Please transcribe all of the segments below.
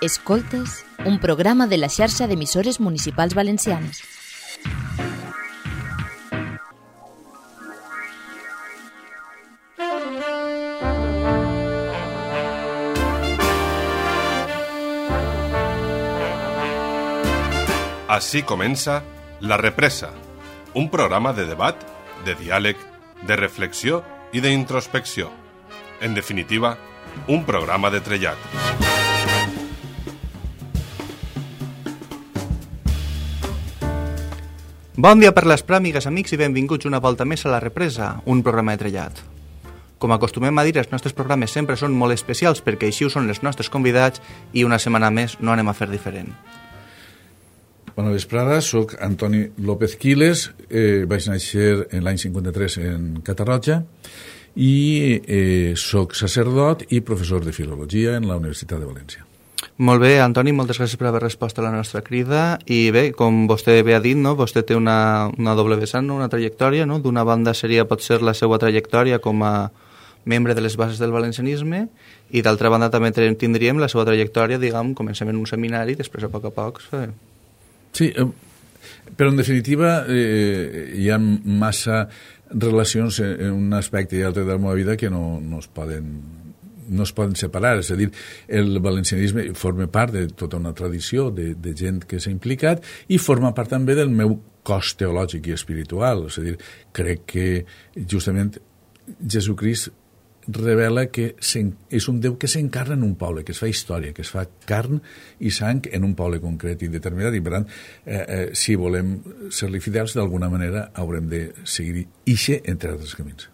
Escoltes, un programa de la xarxa d'emissores municipals valencianes. Así comença La Represa, un programa de debat, de diàleg, de reflexió i d'introspecció. En definitiva, un programa de trellat. Bon dia per les pràmigues, amics, i benvinguts una volta més a La Represa, un programa de trellat. Com acostumem a dir, els nostres programes sempre són molt especials perquè així ho són els nostres convidats i una setmana més no anem a fer diferent. Bona vesprada, soc Antoni López Quiles, vaig néixer l'any 53 en Catarroja i soc sacerdot i professor de filologia en la Universitat de València. Molt bé, Antoni, moltes gràcies per haver respost a la nostra crida. I bé, com vostè bé ha dit, no? Vostè té una doble vessant, no? Una trajectòria. No? D'una banda seria potser la seva trajectòria com a membre de les bases del valencianisme i d'altra banda també tindríem la seva trajectòria, diguem, comencem en un seminari i després a poc. Sí, però en definitiva hi ha massa relacions en un aspecte i altre de la meva vida que no es poden separar, és a dir, el valencianisme forma part de tota una tradició de gent que s'ha implicat i forma part també del meu cos teològic i espiritual, és a dir, crec que justament Jesucrist revela que és un Déu que s'encarna en un poble, que es fa història, que es fa carn i sang en un poble concret i determinat, i per tant, si volem ser-li fidels, d'alguna manera haurem de seguir ixe entre altres camins.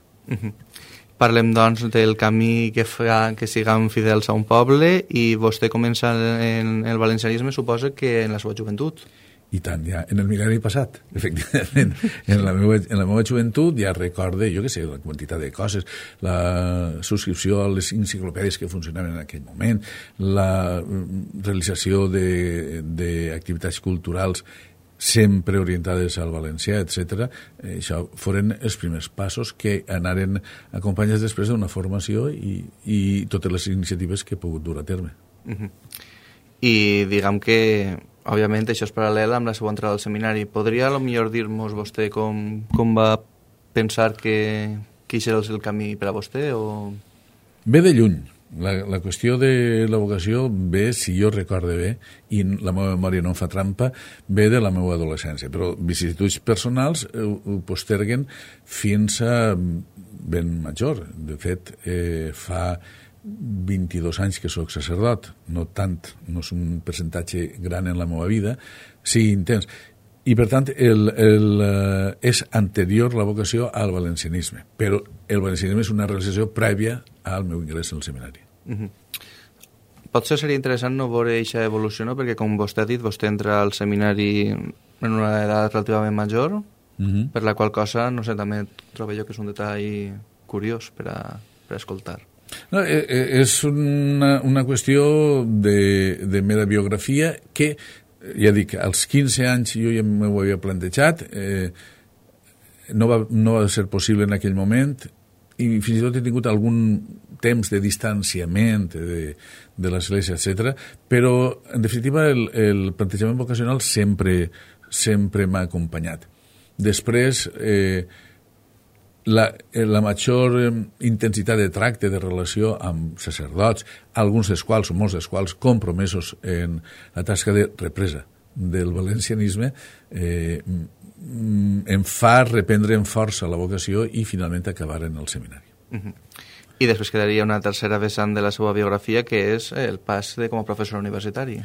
Parlem, doncs, del camí que fa que siguem fidels a un poble i vostè comença en el valencianisme, suposa que en la seva joventut. I tant, ja en el mil·lenni passat, efectivament. En la meva joventut ja recorde, jo què sé, la quantitat de coses, la subscripció a les enciclopèdies que funcionaven en aquell moment, la realització d'activitats culturals sempre orientades al valencià, etc. Això foren els primers passos que anaren acompanyats després d'una formació i totes les iniciatives que he pogut dur a terme. I diguem que, òbviament, això és paral·lel amb la seva entrada al seminari. Podria, potser, dir-nos vostè com va pensar que aquest era el camí per a vostè? O... Ve de lluny. La qüestió de la vocació ve, si jo recorde bé, i la meva memòria no em fa trampa, ve de la meva adolescència, però vicissituds personals ho posterguen fins a ben major. De fet, fa 22 anys que sóc sacerdot, no tant, no és un percentatge gran en la meva vida, sí intens. I, per tant, és anterior la vocació al valencianisme, però el valencianisme és una realització prèvia al meu ingrés al seminari. Potser seria interessant no veure aquesta evolució, no? Perquè, com vostè ha dit, vostè entra al seminari en una edat relativament major, per la qual cosa, no sé, també trobo jo que és un detall curiós per a escoltar. No, és una qüestió de mera biografia que, ja dic, als 15 anys jo ja m'ho havia plantejat, no va ser possible en aquell moment i fins i tot he tingut algun temps de distanciament de l'Església, etc. Però, en definitiva, el plantejament vocacional sempre m'ha acompanyat. Després, la major intensitat de tracte, de relació amb sacerdots, alguns dels quals, o molts dels quals, compromesos en la tasca de represa del valencianisme, em fa reprendre en força la vocació i finalment acabar en el seminari. I després quedaria una tercera vessant de la seva biografia, que és el pas com a professor universitari.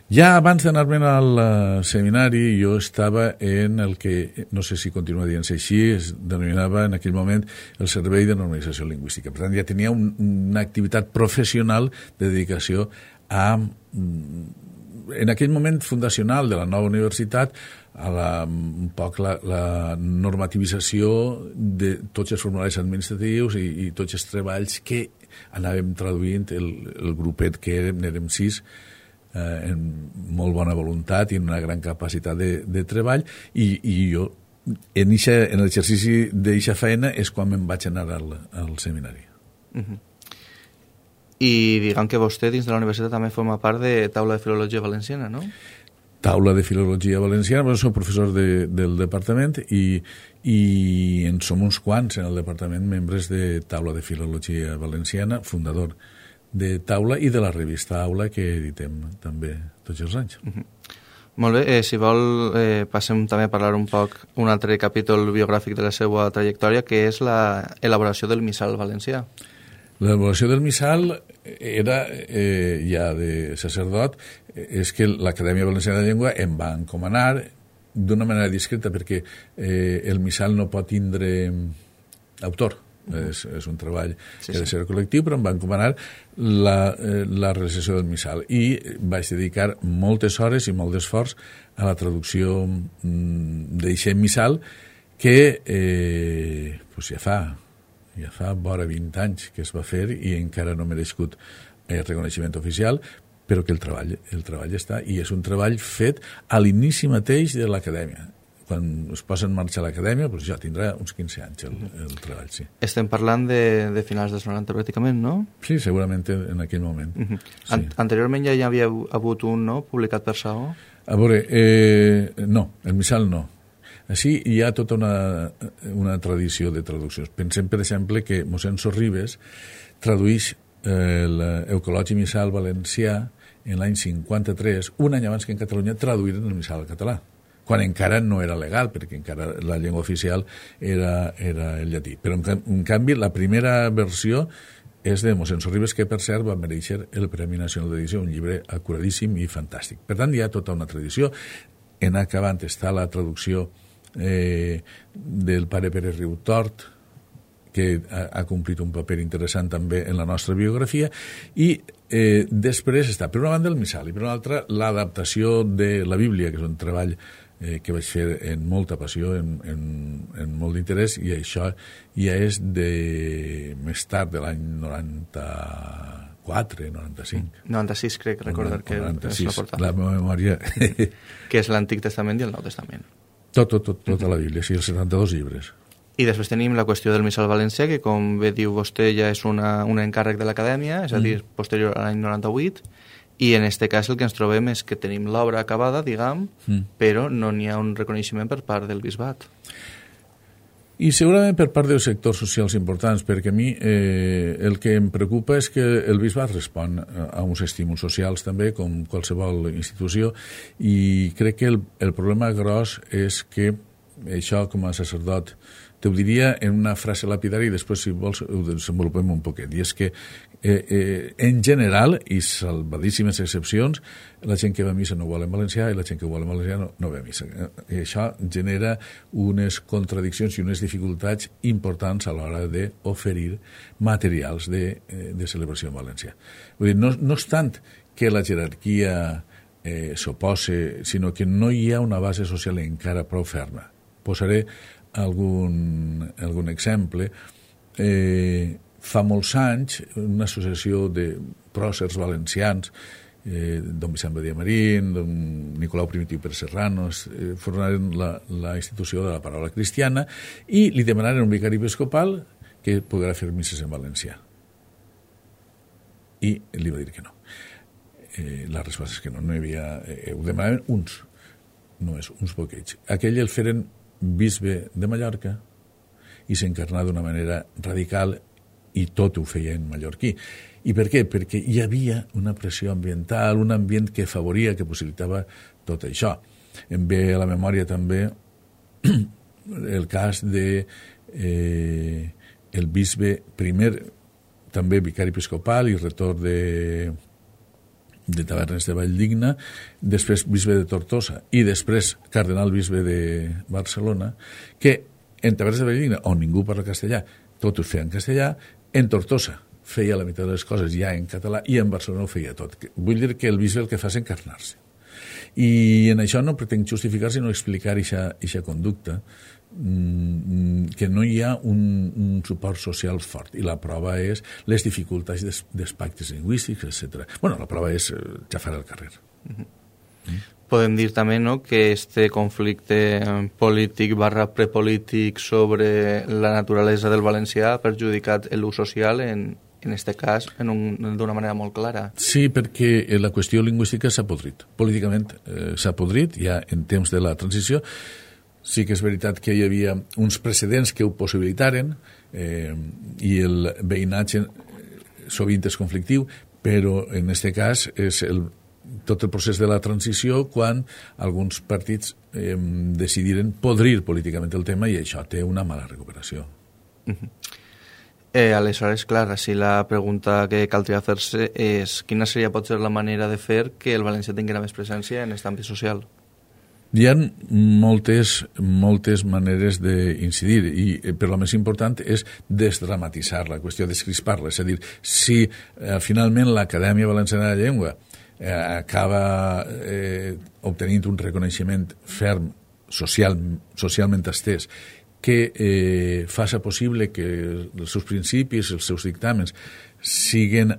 Ja abans d'anar-me'n al seminari jo estava en el que, no sé si continua dient-se així, es denominava en aquell moment el Servei de Normalització Lingüística. Per tant, ja tenia una activitat professional de dedicació a, en aquell moment fundacional de la nova universitat, un poc la normativització de tots els formularis administratius i tots els treballs que anàvem traduint el grupet que érem 6 en molt bona voluntat i en una gran capacitat de treball i jo en l'exercici d'eixa feina és quan me'n vaig anar al seminari. I diguem que vostè dins de la universitat també forma part de Taula de Filologia Valenciana, no? Taula de Filologia Valenciana, soc professor del departament i en som uns quants en el departament membres de Taula de Filologia Valenciana, fundador de Taula i de la revista Aula que editem també tots els anys. Molt bé, si vol passem també a parlar un poc un altre capítol biogràfic de la seva trajectòria, que és l'elaboració del missal valencià. L'elaboració del missal era, ja de sacerdot, és que l'Acadèmia Valenciana de Llengua em va encomanar d'una manera discreta, perquè el missal no pot tindre autor, és un treball que ha de ser col·lectiu, però em va encomanar la realització del missal i vaig dedicar moltes hores i molt d'esforç a la traducció d'aquest missal que ja fa vora 20 anys que es va fer i encara no ha merescut reconeixement oficial, però que el treball està, i és un treball fet a l'inici mateix de l'acadèmia. Quan es posa en marxa l'acadèmia, doncs ja tindrà uns 15 anys el treball, sí. Estem parlant de finals dels 90 pràcticament, no? Sí, segurament en aquell moment. Sí. Anteriorment ja hi havia hagut un, no?, publicat per Saó? A veure, no, el missal no. Així hi ha tota una tradició de traduccions. Pensem, per exemple, que mossèn Sorribes traduïx l'Eucologi Missal valencià en l'any 53, un any abans que en Catalunya traduïren el missal al català, quan encara no era legal, perquè encara la llengua oficial era el llatí. Però, en canvi, la primera versió és de mossèn Sorribes, que per cert va mereixer el Premi Nacional d'Edició, un llibre acuradíssim i fantàstic. Per tant, hi ha tota una tradició. En acabant està la traducció del pare Pere Riutort, que ha complit un paper interessant també en la nostra biografia, i després està, per una banda, el missal, i per una altra, l'adaptació de la Bíblia, que és un treball que vaig fer en molta passió, en molt d'interès, i això ja és més tard, de l'any 94, 95. 96, crec, recordar que 96, és la portada. La meva memòria... Que és l'Antic Testament i el Nou Testament. Tota la Bíblia, sí, els 72 llibres. I després tenim la qüestió del missal valencià, que com bé diu vostè ja és un encàrrec de l'acadèmia, és a dir, posterior a l'any 98, i en aquest cas el que ens trobem és que tenim l'obra acabada, diguem, però no n'hi ha un reconeixement per part del bisbat. I segurament per part dels sectors socials importants, perquè a mi el que em preocupa és que el bisbat respon a uns estímuls socials també, com qualsevol institució, i crec que el problema gros és que això, com a sacerdot, te ho diria en una frase lapidària i després, si vols, ho desenvolupem un poquet. I és que, en general, i salvadíssimes excepcions, la gent que va a missa no vol en valencià i la gent que vol en valencià no ve a missa. I això genera unes contradiccions i unes dificultats importants a l'hora d'oferir materials de celebració en valencià. Vull dir, no és tant que la jerarquia s'opose, sinó que no hi ha una base social encara prou ferma. Posaré algun exemple. Fa molts anys, una associació de pròcers valencians, don Vicent Badia Marín, don Nicolau Primitiu Pérez Serrano, formaren la institució de la paraula cristiana i li demanaren un vicari episcopal que poguera fer misses en valencià. I li va dir que no. La resposta és que no hi havia... Ho demanaven uns, només, uns poquets. Aquell el feren bisbe de Mallorca i s'encarnà d'una manera radical i tot ho feia en mallorquí. I per què? Perquè hi havia una pressió ambiental, un ambient que favoria, que possibilitava tot això. Em ve a la memòria també el cas de el bisbe primer, també vicari episcopal i retor de Tavernes de Valldigna, després bisbe de Tortosa i després cardenal bisbe de Barcelona, que en Tavernes de Valldigna, on ningú parla castellà, tot ho feia en castellà, en Tortosa feia la meitat de les coses ja en català i en Barcelona ho feia tot. Vull dir que el bisbe el que fa és encarnar-se. I en això no pretenc justificar, sinó explicar aquesta conducta, que no hi ha un suport social fort, i la prova és les dificultats dels pactes lingüístics, etc. Bueno, la prova és xafar al carrer. Podem dir també, no?, que este conflicte polític / prepolític sobre la naturalesa del valencià ha perjudicat l'ús social en en aquest cas, d'una manera molt clara. Sí, perquè la qüestió lingüística s'ha podrit. Políticament s'ha podrit, ja en temps de la transició. Sí que és veritat que hi havia uns precedents que ho possibilitaren i el veïnatge sovint és conflictiu, però en aquest cas és tot el procés de la transició quan alguns partits decidiren podrir políticament el tema i això té una mala recuperació. Aleshores, clar, així la pregunta que caldria fer-se és quina seria potser la manera de fer que el valencià tinguera més presència en aquest àmbit social? Hi ha moltes maneres d'incidir, però la més important és desdramatitzar la qüestió, descrispar-la. És a dir, si finalment l'Acadèmia Valenciana de la Llengua acaba obtenint un reconeixement ferm, socialment estès, que faça possible que els seus principis, els seus dictàmens, siguin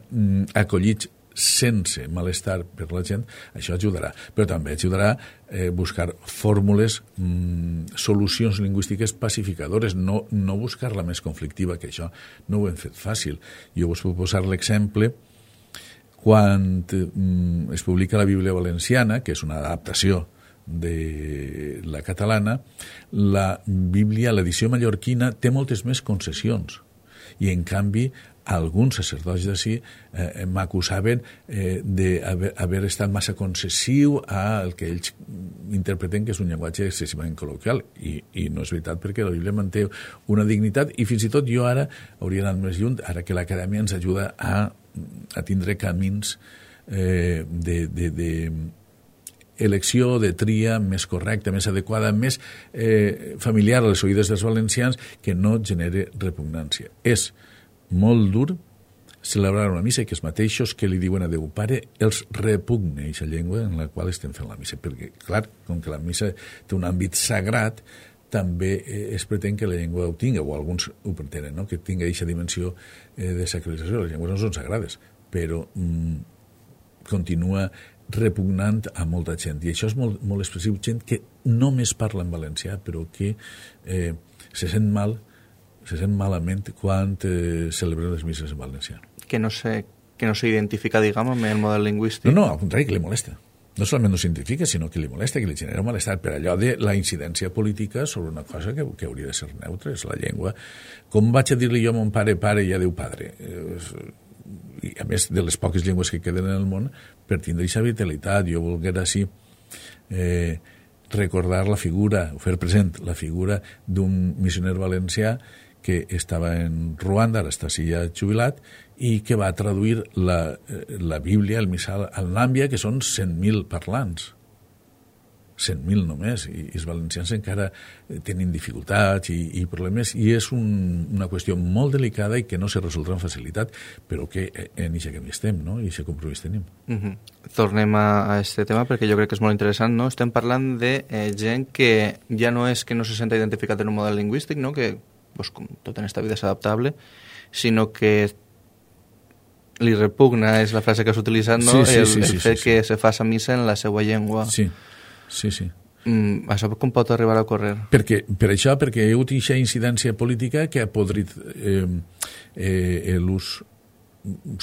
acollits sense malestar per la gent, això ajudarà. Però també ajudarà a buscar fórmules, solucions lingüístiques pacificadores, no buscar la més conflictiva, que això no ho hem fet fàcil. Jo us puc posar l'exemple quan es publica la Bíblia Valenciana, que és una adaptació de la catalana, la Bíblia, l'edició mallorquina, té moltes més concessions. I, en canvi, alguns sacerdots d'ací m'acusaven d'haver estat massa concessiu al que ells interpreten que és un llenguatge excessivament col·loquial. I no és veritat, perquè la Bíblia manté una dignitat i fins i tot jo ara hauria anat més lluny, ara que l'Acadèmia ens ajuda a tindre camins de elecció, de tria més correcta, més adequada, més familiar a les oïdes dels valencians, que no genere repugnància. És molt dur celebrar una missa i que els mateixos que li diuen a Déu Pare els repugna aquesta llengua en la qual estem fent la missa, perquè, clar, com que la missa té un àmbit sagrat, també es pretén que la llengua ho tinga, o alguns ho pretenen, no? Que tinga aquesta dimensió de sacralització. Les llengües no són sagrades, però continua repugnant a molta gent, i això és molt expressiu, gent que només parla en valencià però que se sent malament quan celebren les misses en valencià. Que no s'identifica, diguem, amb el model lingüístic. No, al contrari, que li molesta. No solament no s'identifica, sinó que li molesta, que li genera un malestar per allò de la incidència política sobre una cosa que hauria de ser neutra, és la llengua. Com vaig a dir-li jo a mon pare, i a Déu Padre? I a més de les poques llengües que queden en el món, per tindre aquesta vitalitat, jo volguera així recordar la figura, o fer present la figura d'un missioner valencià que estava en Ruanda, ara està així ja jubilat, i que va traduir la Bíblia, el missal al Nàmbia, que són 100.000 parlants. 100.000 només, i els valencians encara tenen dificultats i problemes, i és una qüestió molt delicada i que no se resoldrà amb facilitat, però que en això que estem, no? I això compromís tenim. Tornem a aquest tema perquè jo crec que és molt interessant, no? Estem parlant de gent que ja no és que no se senta identificat en un model lingüístic, no? Que, pues, com tot en esta vida és adaptable, sinó que li repugna, és la frase que has utilitzat, no? El fet que se faça missa en la seva llengua. Sí. Això com pot arribar a ocórrer? Per això, perquè hi ha hagut aquesta incidència política que ha podrit l'ús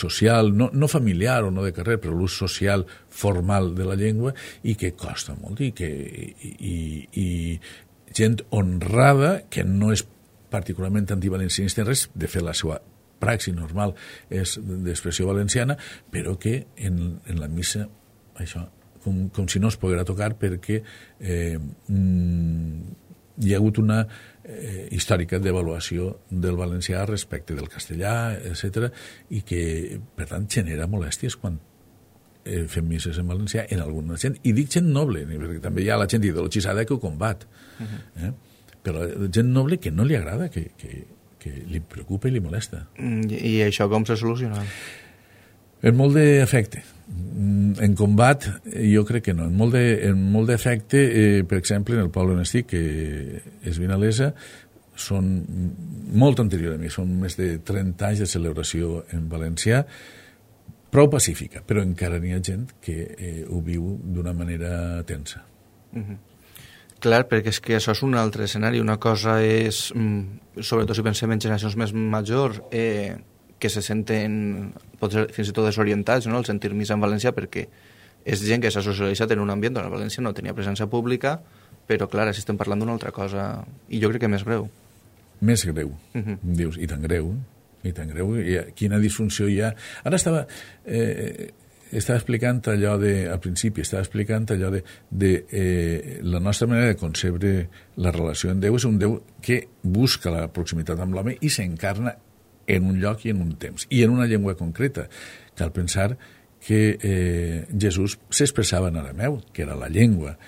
social, no familiar o no de carrer, però l'ús social formal de la llengua, i que costa molt, i gent honrada, que no és particularment antivalencianista, res, de fer la seva praxi normal és d'expressió valenciana, però que en la missa això com si no es poguera tocar, perquè hi ha hagut una històrica d'avaluació del valencià respecte del castellà, etc., i que, per tant, genera molèsties quan fem misses en valencià en alguna gent, i dic gent noble, perquè també hi ha la gent ideologitzada que ho combat, però gent noble que no li agrada, que li preocupa i li molesta. I això com se soluciona? En molt d'efecte. En combat, jo crec que no. En molt d'efecte, per exemple, en el poble on estic, que és Vinalesa, són molt anterior a mi, són més de 30 anys de celebració en valencià, prou pacífica, però encara n'hi ha gent que ho viu d'una manera tensa. Clar, perquè és que això és un altre escenari. Una cosa és, sobretot si pensem en generacions més majors, que se senten potser fins i tot desorientats, no?, al sentir missa en valencià, perquè és gent que s'ha socialitzat en un ambient on a València no tenia presència pública, però clar, si estem parlant d'una altra cosa, i jo crec que més greu. Més greu. Dius, i tan greu, quina disfunció hi ha. Ara estava explicant allò al principi, estava explicant allò de la nostra manera de concebre la relació amb Déu és un Déu que busca la proximitat amb l'home i s'encarna en un lloc i en un temps, i en una llengua concreta. Cal pensar que Jesús s'expressava en arameu, que era la llengua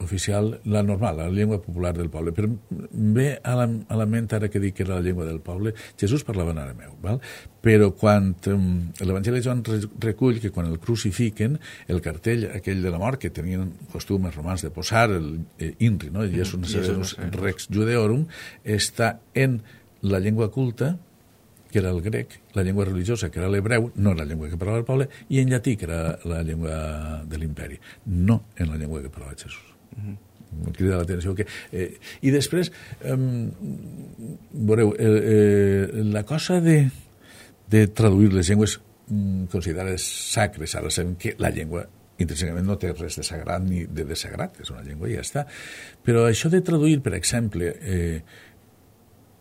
oficial, la normal, la llengua popular del poble. Però ve a la ment, ara que dic que era la llengua del poble, Jesús parlava en arameu, val? Però quan l'Evangeli de Joan recull que quan el crucifiquen, el cartell aquell de la mort, que tenien costumes romans de posar, el INRI, no? Jesus Rex Judeorum, està en la llengua culta, que era el grec, la llengua religiosa, que era l'hebreu, no la llengua que parlava el poble, i en llatí, que era la llengua de l'imperi, no en la llengua que parlava Jesús. Em crida l'atenció que... I després, veureu, la cosa de traduir les llengües considerades sacres, ara sabem que la llengua intrínsecament no té res de sagrat ni de desagrat, és una llengua i ja està. Però això de traduir, per exemple,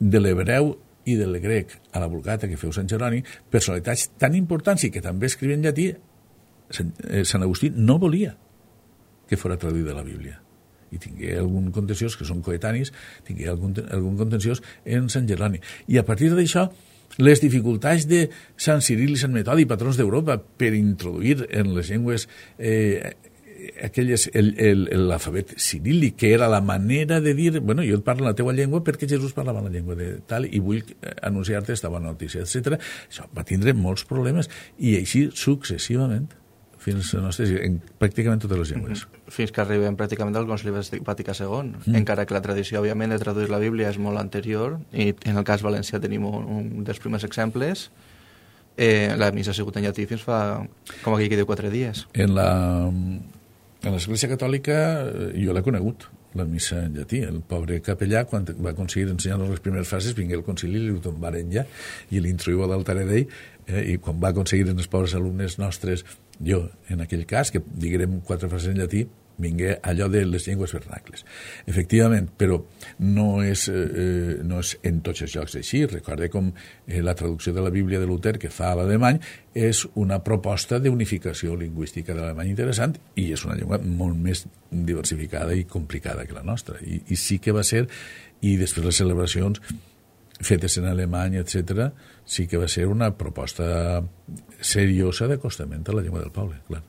de l'hebreu i del grec a la Vulgata que feu Sant Jeroni, personalitats tan importants i que també escrivien llatí, Sant Agustí no volia que fora traduïda la Bíblia. I tingué algun contenciós, que són coetanis, tingué algun contenciós en Sant Jeroni. I a partir d'això, les dificultats de Sant Ciril i Sant Metodi, patrons d'Europa, per introduir en les llengües l'alfabet ciríl·lic, que era la manera de dir, bueno, jo et parlo la teua llengua perquè Jesús parlava la llengua de tal i vull anunciar-te esta bona notícia, etc. Això va tindre molts problemes i així successivament fins a nostres, en pràcticament totes les llengües. Fins que arribem pràcticament al Concili Vaticà II, encara que la tradició, òbviament, de traduir la Bíblia és molt anterior, i en el cas valencià tenim un dels primers exemples. La missa ha sigut en llatí fins fa, com aquí que diu, 4 dies. En l'Església Catòlica jo l'he conegut, la missa en llatí. El pobre capellà, quan va aconseguir ensenyar-nos les primeres frases, vingué al concili, li ho tombaren ja, i l'introiu a l'altar d'ell, i quan va aconseguir en els pobres alumnes nostres, jo, en aquell cas, que diguem 4 frases en llatí, vingué allò de les llengües vernacles. Efectivament, però no és en tots els llocs així. Recorde com la traducció de la Bíblia de Luther que fa a l'alemany és una proposta d'unificació lingüística de l'alemany interessant i és una llengua molt més diversificada i complicada que la nostra. I sí que va ser, i després les celebracions fetes en alemany, etc., sí que va ser una proposta seriosa d'acostament a la llengua del poble, clar.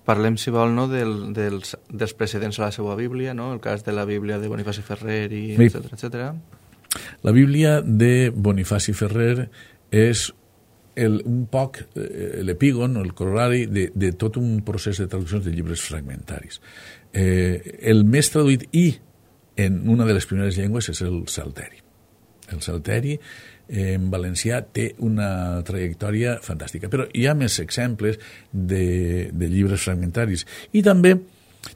Parlem, si vol, no, dels precedents a la seva Bíblia, no? El cas de la Bíblia de Bonifaci Ferrer, i etcètera. La Bíblia de Bonifaci Ferrer és un poc l'epígon, el corolari de tot un procés de traduccions de llibres fragmentaris. El més traduït i en una de les primeres llengües és el Salteri. El Salteri en valencià té una trajectòria fantàstica, però hi ha més exemples de llibres fragmentaris i també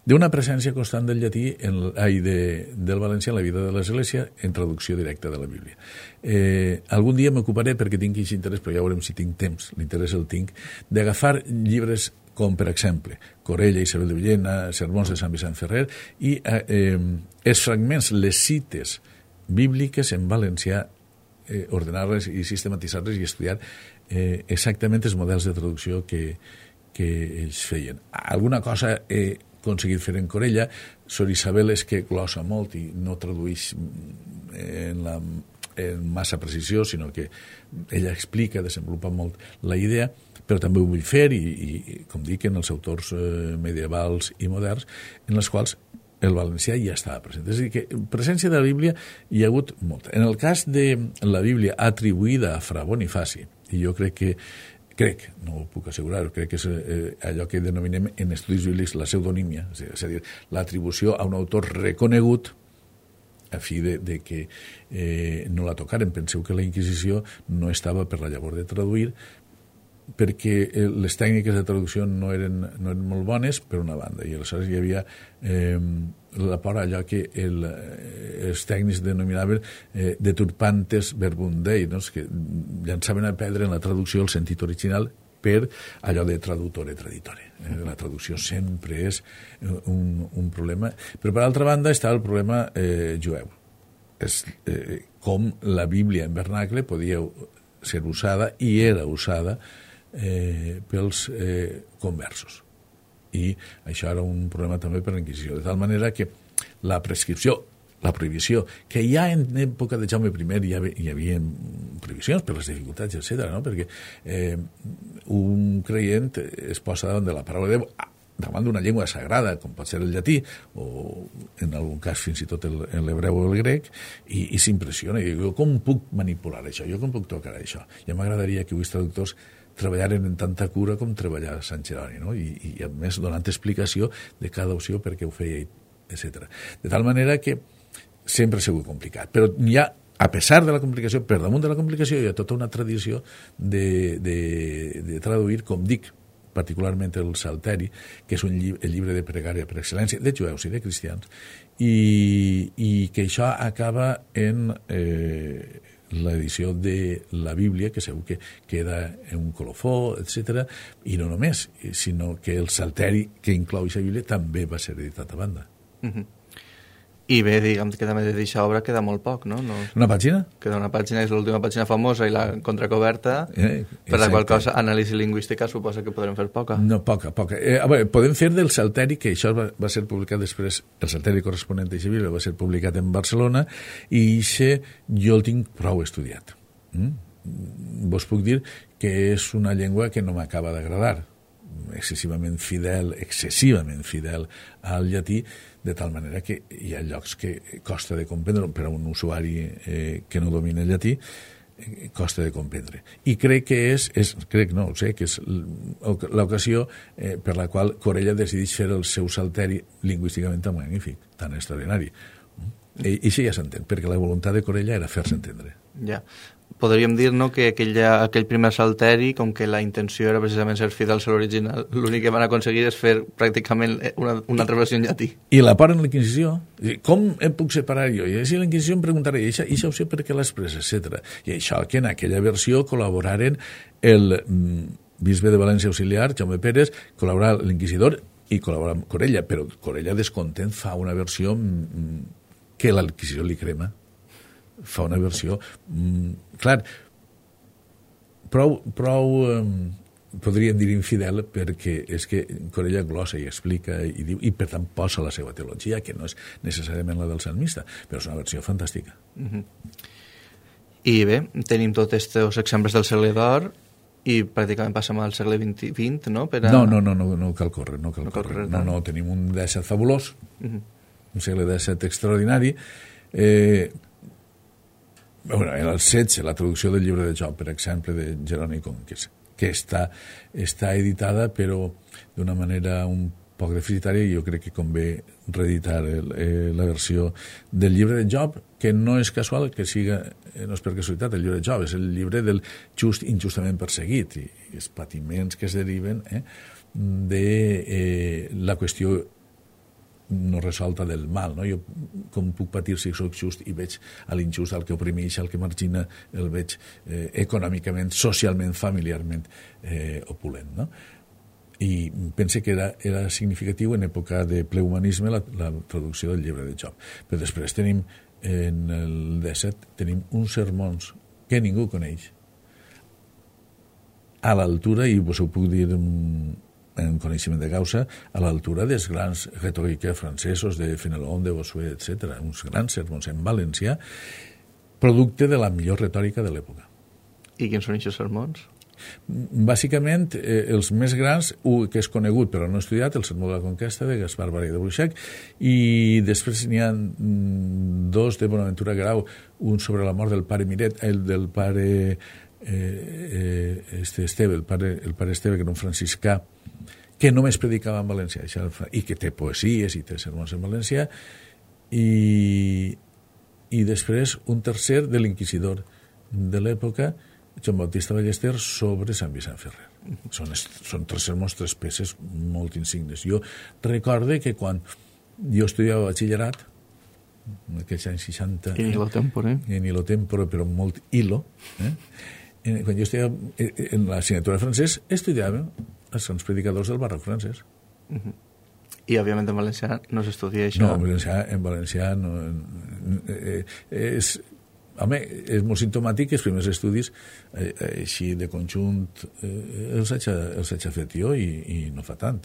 d'una presència constant del llatí del valencià en la vida de l'Església en traducció directa de la Bíblia. Algun dia m'ocuparé, perquè tinc aquest interès, però ja veurem si tinc temps, l'interès el tinc, d'agafar llibres com, per exemple, Corella, Isabel de Villena, Sermons de Sant Vicent Ferrer, i els fragments, les cites bíbliques en valencià, ordenar-les i sistematitzar-les i estudiar exactament els models de traducció que ells feien. Alguna cosa he aconseguit fer en Corella. Sor Isabel és que glossa molt i no tradueix en massa precisió, sinó que ella explica, desenvolupa molt la idea, però també ho vull fer i com dic, en els autors medievals i moderns, en els quals el valencià ja estava present. És a dir, que presència de la Bíblia hi ha hagut molta. En el cas de la Bíblia atribuïda a Fra Bonifaci, i jo crec, no ho puc assegurar, crec que és allò que denominem en estudis bíblics la pseudonímia, és a dir, l'atribució a un autor reconegut a fi de que no la tocaren. Penseu que la Inquisició no estava per la llavor de traduir, perquè les tècniques de traducció no eren molt bones, per una banda, i aleshores hi havia la por allò que els tècnics denominaven deturpantes verbundei, no? Que llançaven a perdre en la traducció el sentit original per allò de traductore traditore. La traducció sempre és un problema. Però per altra banda està el problema jueu. És com la Bíblia en vernacle podia ser usada i era usada pels conversos. I això era un problema també per la Inquisició. De tal manera que la prescripció, la prohibició, que ja en època de Jaume I hi havia prohibicions per les dificultats, etc., no? Perquè un creient es posa davant de la paraula de Déu, davant d'una llengua sagrada, com pot ser el llatí, o en algun cas fins i tot l'hebreu o el grec, i s'impressiona. I jo com puc manipular això? Jo com puc tocar això? Ja m'agradaria que avui els traductors treballaren en tanta cura com treballar Sant Jeroni, no? I a més donant explicació de cada opció per què ho feia, etc. De tal manera que sempre ha sigut complicat. Però hi ha, a pesar de la complicació, per damunt de la complicació, hi ha tota una tradició de traduir, com dic, particularment el Salteri, que és el llibre de pregària per excel·lència, de jueus i de cristians, i que això acaba en l'edició de la Bíblia, que segur que queda en un colofó, etc. I no només, sinó que el Salteri que inclou aquesta Bíblia també va ser editat a banda. I bé, diguem que també d'aquesta obra queda molt poc, no? Una pàgina? Queda una pàgina, és l'última pàgina famosa i la contracoberta, per la qual cosa anàlisi lingüística suposa que podrem fer poca. No, poca. Podem fer del Salteri, que això va ser publicat després, el Salteri corresponent a Bíblia va ser publicat en Barcelona, i jo el tinc prou estudiat. Vos puc dir que és una llengua que no m'acaba d'agradar, excessivament fidel al llatí, de tal manera que hi ha llocs que costa de comprendre, per a un usuari que no domina el llatí, costa de comprendre. I crec que que és l'ocasió per la qual Corella decideix fer el seu Salteri lingüísticament tan magnífic, tan extraordinari. I això ja s'entén, perquè la voluntat de Corella era fer-se entendre. Ja. Podríem dir, no, que aquell primer Salteri, com que la intenció era precisament ser fidels a l'original, l'únic que van aconseguir és fer pràcticament una altra versió en llatí. I la part en la Inquisició, com em puc separar jo? I si la Inquisició em preguntaré, i això sé per què l'has pres, etc. I això que en aquella versió col·laboraren el bisbe de València Auxiliar, Jaume Pérez, col·laborà l'inquisidor i col·laborà Corella, però Corella descontent fa una versió que la Inquisició li crema. Fa una versió clar, prou podríem dir infidel, perquè és que Corella glossa i explica i diu, i per tant posa la seva teologia, que no és necessàriament la del salmista, però és una versió fantàstica. I bé, tenim tots aquests exemples del segle d'or i pràcticament passem al segle XX, no? No cal córrer. No, tenim un XVII fabulós, un segle XVII extraordinari. En el XVI, la traducció del llibre de Job, per exemple, de Jeroni Conques, que està editada, però d'una manera un poc deficitària, i jo crec que convé reeditar la versió del llibre de Job, que no és casual que siga, no és per casualitat, el llibre de Job, és el llibre del just injustament perseguit, i els patiments que es deriven de la qüestió no resolta del mal, no? Jo com puc patir si soc just i veig a l'injust, al que oprimeix, al que margina, el veig econòmicament, socialment, familiarment opulent, no? I pense que era significatiu en època de plehumanisme la traducció del llibre de Job. Però després tenim, en el 17, tenim uns sermons que ningú coneix, a l'altura, i vos ho puc dir en coneixement de causa, a l'altura dels grans retòriques francesos de Fenelon, de Bossuet, etc. Uns grans sermons en valencià, producte de la millor retòrica de l'època. I quins són aquests sermons? Bàsicament, els més grans, un que és conegut però no estudiat, el Sermó de la Conquesta de Gaspar Baré de Bruixac, i després n'hi ha dos de Bonaventura Grau, un sobre la mort del pare Miret, el del pare Esteve, el pare Esteve, que era un franciscà, que només predicava en valencià, i que té poesies i té sermons en valencià, i després un tercer de l'inquisidor de l'època, Joan Baptista Ballester sobre Sant Vicent Ferrer. Són tres sermons, tres peces molt insignes. Jo recorde que quan jo estudiava batxillerat, en aquells anys 60... In illo tempore. In illo tempore, però molt illo. Quan jo estudiava en l'assignatura de francès, estudiàvem els sants predicadors del barroc francès. I, òbviament, en valencià no s'estudia això. No, en valencià no... Home, és molt simptomàtic que els primers estudis així de conjunt els haig fet jo i no fa tant.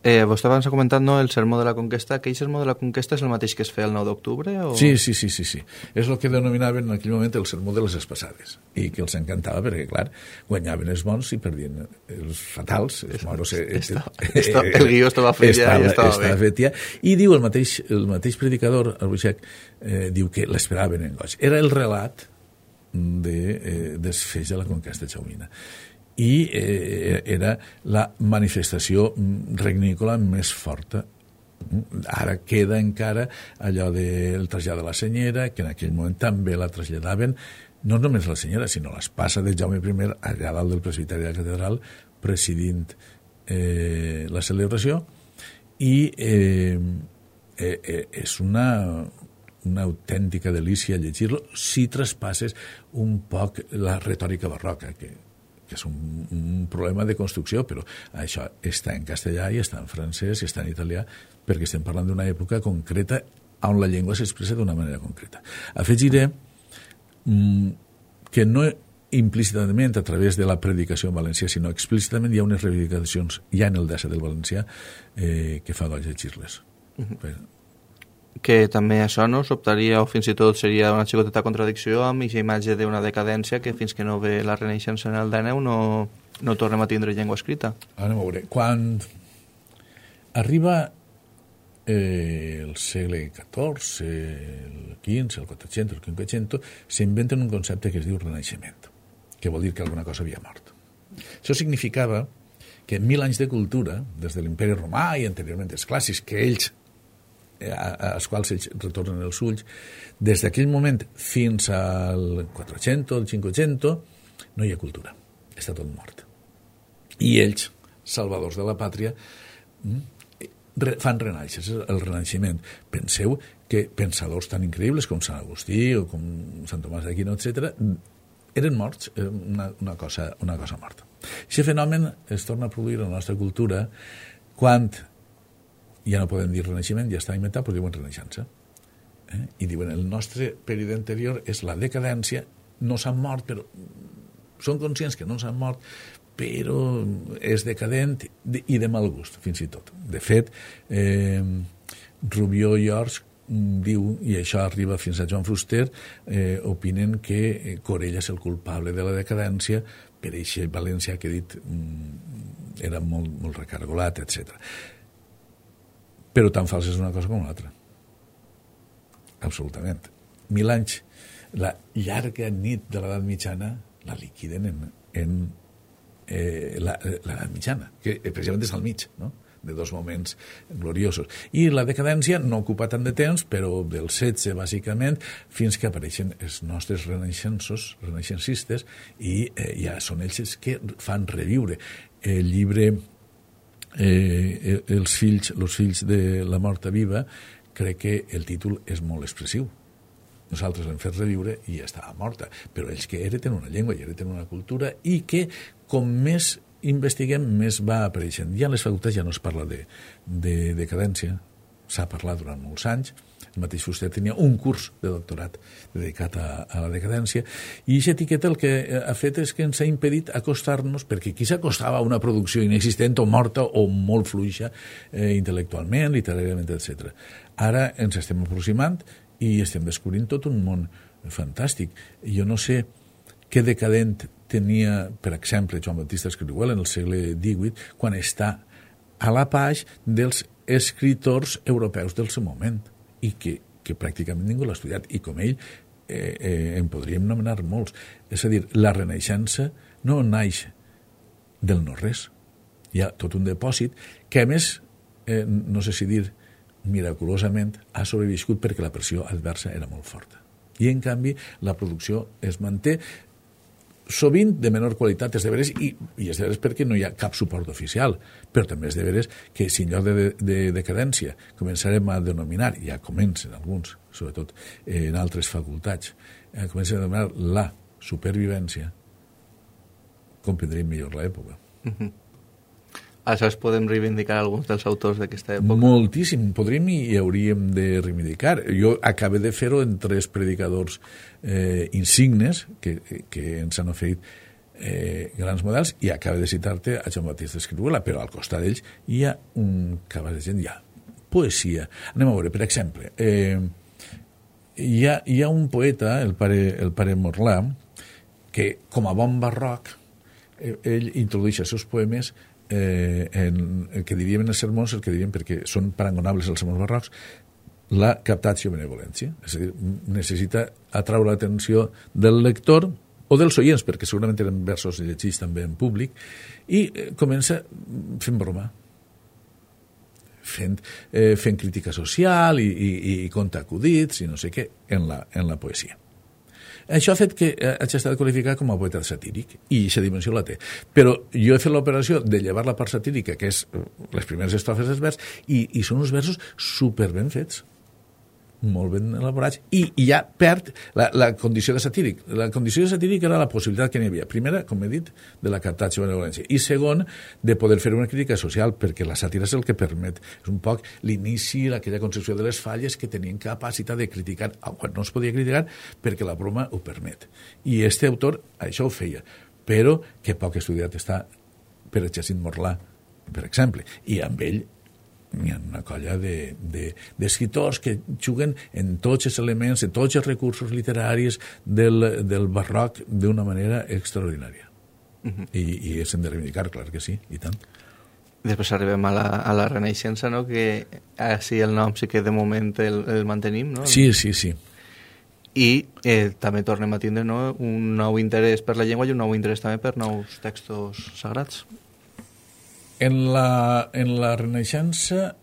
Vostè abans ha comentat el sermó de la conquesta. Aquell sermó de la conquesta és el mateix que es feia el 9 d'octubre? O... Sí. És el que denominaven en aquell moment el sermó de les espassades i que els encantava perquè, clar, guanyaven els bons i perdien els fatals. Els moros... El guió estava fet ja i estava bé. I diu el mateix predicador, el Buixec, diu que l'esperaven en goig. Era el relat dels fets de la conquesta jaumina. I era la manifestació regnícola més forta. Ara queda encara allò del trasllat de la senyera, que en aquell moment també la traslladaven, no només la senyera, sinó l'espasa de Jaume I allà dalt del presbiteri de la catedral, presidint la celebració, i és una autèntica delícia llegir-lo si traspasses un poc la retòrica barroca, que és un problema de construcció, però això està en castellà i està en francès i està en italià, perquè estem parlant d'una època concreta on la llengua s'expressa d'una manera concreta. Afegiré que no implícitament a través de la predicació en valencià, sinó explícitament hi ha unes reivindicacions ja en el desa del valencià que fa goig llegir-les. Que també això no s'optaria o fins i tot seria una xicoteta contradicció amb aquesta imatge d'una decadència que fins que no ve la Renaixença en el Daneu no tornem a tindre llengua escrita. Anem a veure. Quan arriba el segle XIV, el XV, el 400, el 500, s'inventen un concepte que es diu Renaixement, que vol dir que alguna cosa havia mort. Això significava que 1.000 anys de cultura, des de l'imperi romà i anteriorment els clàssics, que ells als quals ells retornen els ulls, des d'aquell moment fins al 400, al 500, no hi ha cultura. Està tot mort. I ells, salvadors de la pàtria, fan renaixes, el Renaixement. Penseu que pensadors tan increïbles com Sant Agustí o com Sant Tomàs d'Aquino, etc., eren morts, una cosa morta. Aquest fenomen es torna a produir en la nostra cultura quan ja no podem dir Renaixement, ja està inventat, però diuen Renaixença. I diuen, el nostre període anterior és la decadència, no s'han mort, però són conscients que no s'han mort, però és decadent i de mal gust, fins i tot. De fet, Rubió i Ors diu, i això arriba fins a Joan Fuster, opinen que Corella és el culpable de la decadència per aquest valencià que he dit era molt recargolat, etc. Però tan fals és una cosa com l'altra. Absolutament. 1.000 anys. La llarga nit de l'edat mitjana la liquiden en l'edat mitjana, que precisament és al mig, no?, de dos moments gloriosos. I la decadència no ocupa tant de temps, però del 16, bàsicament, fins que apareixen els nostres renaixencistes i ja són ells que fan reviure. El llibre els fills de la morta viva, crec que el títol és molt expressiu. Nosaltres l'hem fet reviure i ja estava morta, però ells que hereten una llengua i hereten una cultura i que com més investiguem més va apareixent. Ja en les facultats ja no es parla de decadència, s'ha parlat durant molts anys. El mateix Fuster tenia un curs de doctorat dedicat a la decadència, i aquesta etiqueta el que ha fet és que ens ha impedit acostar-nos, perquè qui s'acostava a una producció inexistent o morta o molt fluixa intel·lectualment, literàriament, etc. Ara ens estem aproximant i estem descobrint tot un món fantàstic. Jo no sé què decadent tenia, per exemple, Joan Baptista Escrihuel en el segle XVIII, quan està a la paix dels escriptors europeus del seu moment, i que pràcticament ningú l'ha estudiat, i com ell en podríem nomenar molts. És a dir, la Renaixença no naix del no-res. Hi ha tot un depòsit que, a més, no sé si dir miraculosament, ha sobreviscut perquè la pressió adversa era molt forta. I, en canvi, la producció es manté sovint de menor qualitat, és de veres, i és de veres perquè no hi ha cap suport oficial, però també és de veres que si en lloc de decadència començarem a denominar, ja comencen alguns, sobretot en altres facultats, comencen a denominar la supervivència, comprendríem millor l'època. Aleshores podem reivindicar alguns dels autors d'aquesta època? Moltíssim, podríem i hauríem de reivindicar. Jo acabé de fer-ho en 3 predicadors insignes que ens han oferit grans models, i acabo de citar-te a Joan Batista Escrivula, però al costat d'ells hi ha un cabal de gent, hi ha poesia. Anem a veure, per exemple, hi ha un poeta, el pare Morlà, que com a bon barroc ell introdueix els seus poemes en el que diríem en els sermons, el que diríem, perquè són parangonables els sermons barrocs, la captatio benevolència, és a dir, necessita atraure l'atenció del lector o dels oients, perquè segurament eren versos llegits també en públic, i comença fent broma, fent crítica social i conta acudits i no sé què en la poesia. Això ha fet que hagi estat qualificat com a poeta satíric, i aquesta dimensió la té. Però jo he fet l'operació de llevar la part satírica, que és les primeres estrofes dels vers, i són uns versos superben fets, molt ben elaborats, i ja perd la condició de satíric. La condició de satíric era la possibilitat que n'hi havia. Primera, com he dit, de la captatio benevolència. I segon, de poder fer una crítica social, perquè la sàtira és el que permet. És un poc l'inici, aquella concepció de les falles que tenien capacitat de criticar, quan no es podia criticar, perquè la broma ho permet. I este autor això ho feia, però que poc estudiat està per Jacint Morlà, per exemple, i amb ell hi ha una colla d'escriptors que juguen en tots els elements, en tots els recursos literaris del barroc d'una manera extraordinària. I és hem de reivindicar, clar que sí, i tant. Després arribem a la Renaixença, no? Que sí, el nom sí que de moment el mantenim, no? Sí. I també tornem a tindre, no, un nou interès per la llengua i un nou interès també per nous textos sagrats. En la Renaixença,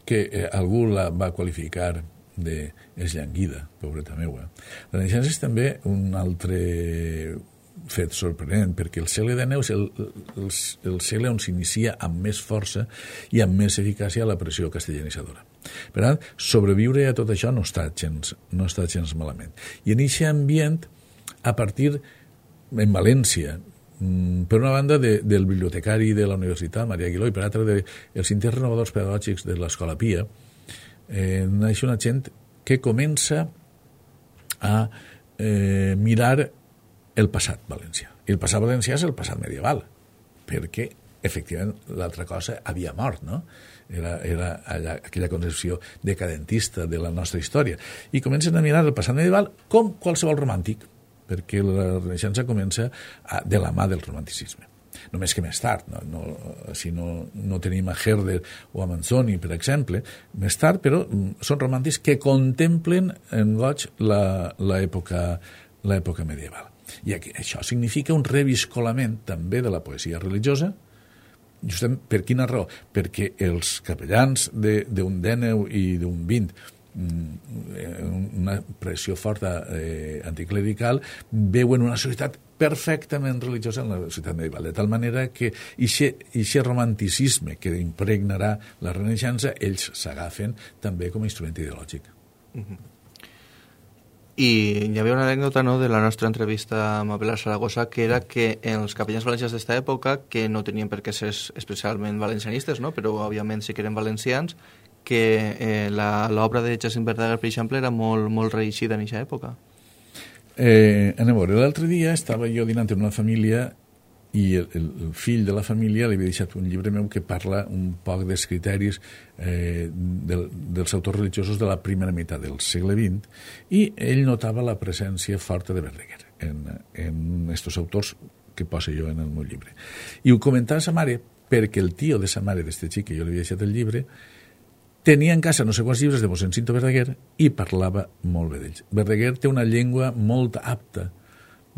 que algú la va qualificar d'esllanguida, pobreta meua, la Renaixença és també un altre fet sorprenent, perquè el segle XIX és el segle on s'inicia amb més força i amb més eficàcia la pressió castellanitzadora. Per tant, sobreviure a tot això no està gens malament. I en aquest ambient, a partir, en València, per una banda del bibliotecari de la Universitat, Maria Aguiló, i per altra dels intents renovadors pedagògics de l'Escola Pia, naix una gent que comença a mirar el passat valencià. I el passat valencià és el passat medieval, perquè, efectivament, l'altra cosa havia mort, no? Era aquella concepció decadentista de la nostra història. I comencen a mirar el passat medieval com qualsevol romàntic, perquè la Renaixença comença de la mà del romanticisme. Només que més tard, si no tenim a Herder o a Manzoni, per exemple, més tard, però són romàntics que contemplen en goig l'època medieval. I això significa un reviscolament també de la poesia religiosa, justament per quina raó? Perquè els capellans d'un XIX i d'un XX, una pressió forta anticlerical, veuen una societat perfectament religiosa en la societat medieval, de tal manera que aquest romanticisme que impregnarà la Renaixença, ells s'agafen també com a instrument ideològic. I hi havia una anècdota, no, de la nostra entrevista amb Abel Saragossa, que era que els capellans valencians d'esta època, que no tenien per què ser especialment valencianistes, no, però òbviament sí que eren valencians, que l'obra de Jacint Verdaguer, per exemple, era molt reeixida en aquesta època. Anem a veure, l'altre dia estava jo dinant en una família i el fill de la família li havia deixat un llibre meu que parla un poc dels criteris dels autors religiosos de la primera meitat del segle XX, i ell notava la presència forta de Verdaguer en estos autors que posa jo en el meu llibre. I ho comentava sa mare perquè el tio de sa mare d'este xic que jo li havia deixat el llibre tenia en casa no sé quants llibres de mossèn Cinto Verdaguer i parlava molt bé d'ells. Verdaguer té una llengua molt apta,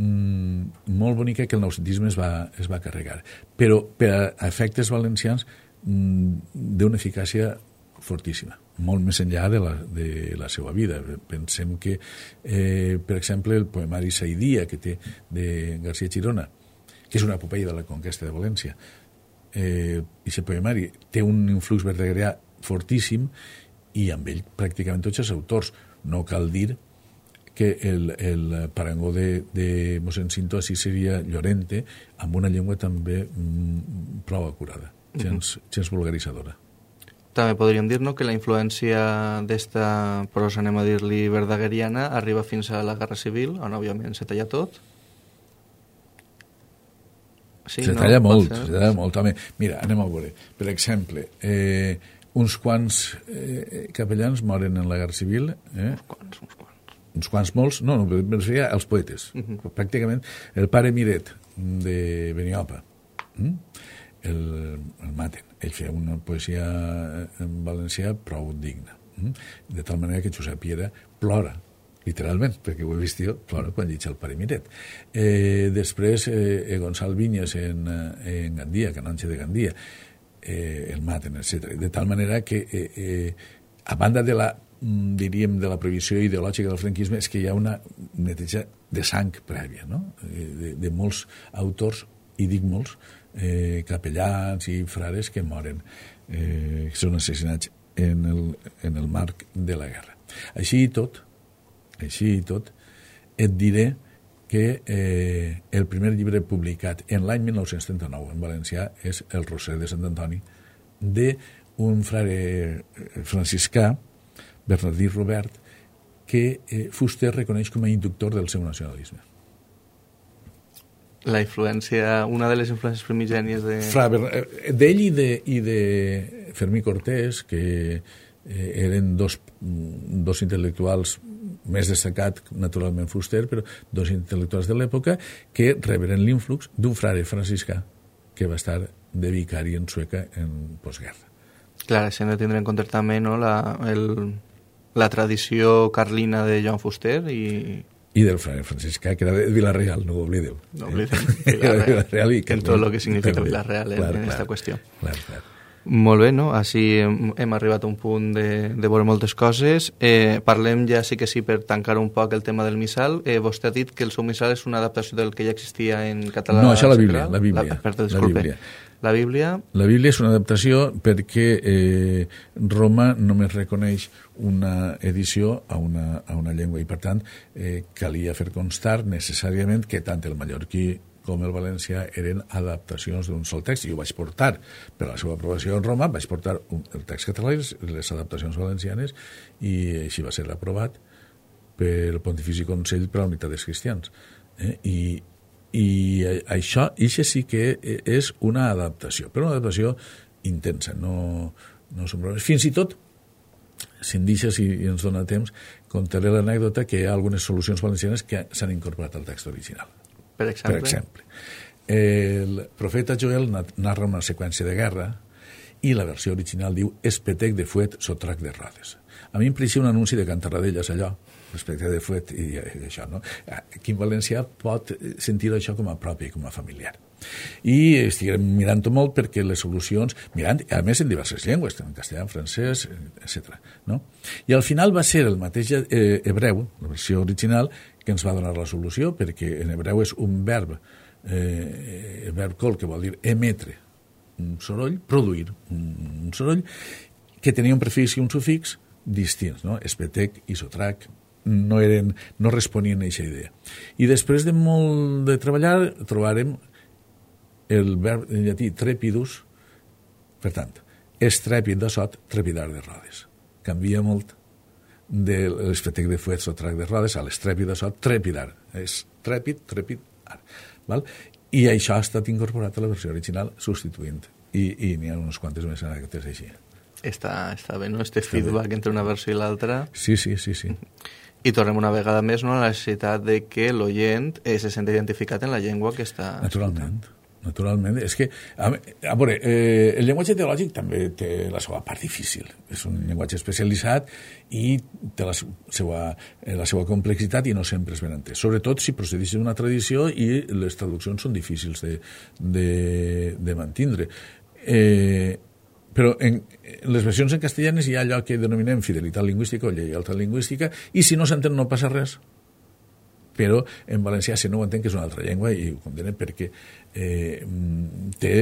molt bonica, que el noucentisme es va carregar, però per a efectes valencians d'una eficàcia fortíssima, molt més enllà de la seva vida. Pensem que, per exemple, el poemari Saidia, que té de García Chirona, que és una epopeia de la conquesta de València, i aquest poemari té un influx verdaguerià fortíssim, i amb ell pràcticament tots els autors. No cal dir que el parangó de mossèn Cinto així seria Llorente, amb una llengua també prou acurada, gens vulgaritzadora. També podríem dir, no?, que la influència d'esta prosa, anem a dir-li, verdagueriana, arriba fins a la Guerra Civil, on òbviament se talla tot. Sí, se talla molt, home. Mira, anem a veure. Per exemple, uns quants capellans moren en la Guerra Civil. Uns quants molts, no, me referia als poetes. Pràcticament el pare Miret de Beniopa, el maten. Ell feia una poesia en valencià prou digna, de tal manera que Josep Piera plora, literalment, perquè ho he vist jo, plora quan llegeix el pare Miret. Després Gonçal Vinyes en Gandia, Canonge de Gandia, el maten, etc. De tal manera que a banda de la, diríem, de la prohibició ideològica del franquisme, és que hi ha una neteja de sang prèvia, no?, de molts autors, i dic molts, capellans i frares que moren, que són assassinats en el marc de la guerra. Així i tot, et diré que el primer llibre publicat en l'any 1939 en valencià és El Roser de Sant Antoni, d'un frare franciscà, Bernardí Robert, que Fuster reconeix com a inductor del seu nacionalisme. La influència, una de les influències primigènies d'ell i de Fermí Cortés, que eren dos intel·lectuals, més destacat naturalment Fuster, però dos intel·lectuals de l'època que reberen l'influx d'un frare franciscà que va estar de vicari en Sueca en postguerra. Clar, això hem de tindre en compte també, no?, la tradició carlina de Joan Fuster i del frare franciscà, que era de Vila-real, no ho oblideu. No oblidem Vila-real. En tot el que significa Vila-real en aquesta qüestió. Clar. Molt bé, no? Així hem arribat a un punt de veure moltes coses. Parlem ja sí que sí, per tancar un poc el tema del missal. Vostè ha dit que el seu missal és una adaptació del que ja existia en català. No, això la Bíblia. La Bíblia. La Bíblia és una adaptació perquè Roma només reconeix una edició a una llengua i, per tant, calia fer constar necessàriament que tant el mallorquí com el valencià eren adaptacions d'un sol text. Jo vaig portar, per a la seva aprovació en Roma, vaig portar el text català i les adaptacions valencianes, i així va ser aprovat pel Pontifici Consell per a la Unitat dels Cristians. I això sí que és una adaptació, però una adaptació intensa, no són bromes. Fins i tot, si em deixes i ens dona temps, contaré l'anècdota que hi ha algunes solucions valencianes que s'han incorporat al text original. Per exemple, el profeta Joel narra una seqüència de guerra i la versió original diu espetec de fuet sotrac de rodes. A mi em pareixia un anunci de Cantarradellas, allò, respecte de fuet i això, no? Aquí en València pot sentir això com a propi, com a familiar. I estiguem mirant-ho molt perquè les solucions, mirant, a més en diverses llengües, en castellà, en francès, etc. No? I al final va ser el mateix hebreu, la versió original, que ens va donar la solució, perquè en hebreu és un verb, el verb kol, que vol dir emetre un soroll, produir un soroll, que tenia un prefix i un sufix distints, no? Espetec i sotrac, no responien a aquesta idea. I després de molt de treballar, trobarem el verb en llatí trepidus, per tant, estrèpid de sot, trepidar de rodes. Canvia molt de l'espetec de fuet, sotrac de rodes, a l'estrèpid de sot, trepidar. És trepidar. Val? I això ha estat incorporat a la versió original substituint. I n'hi ha unes quantes més anècdotes així. Està bé, no? Este feedback entre una versió i l'altra. Sí. I tornem una vegada més, no?, a la necessitat de que l'oient se senti identificat en la llengua que està... Naturalment. És que, a veure, el llenguatge teològic també té la seva part difícil. És un llenguatge especialitzat i té la seva complexitat i no sempre és ben entès. Sobretot si procedeix d'una tradició i les traduccions són difícils de mantindre. Però en les versions en castellanes hi ha allò que denominem fidelitat lingüística o lleialtat lingüística, i si no s'entén no passa res. Però en valencià, si no ho entenc, que és una altra llengua, i ho condemnen perquè té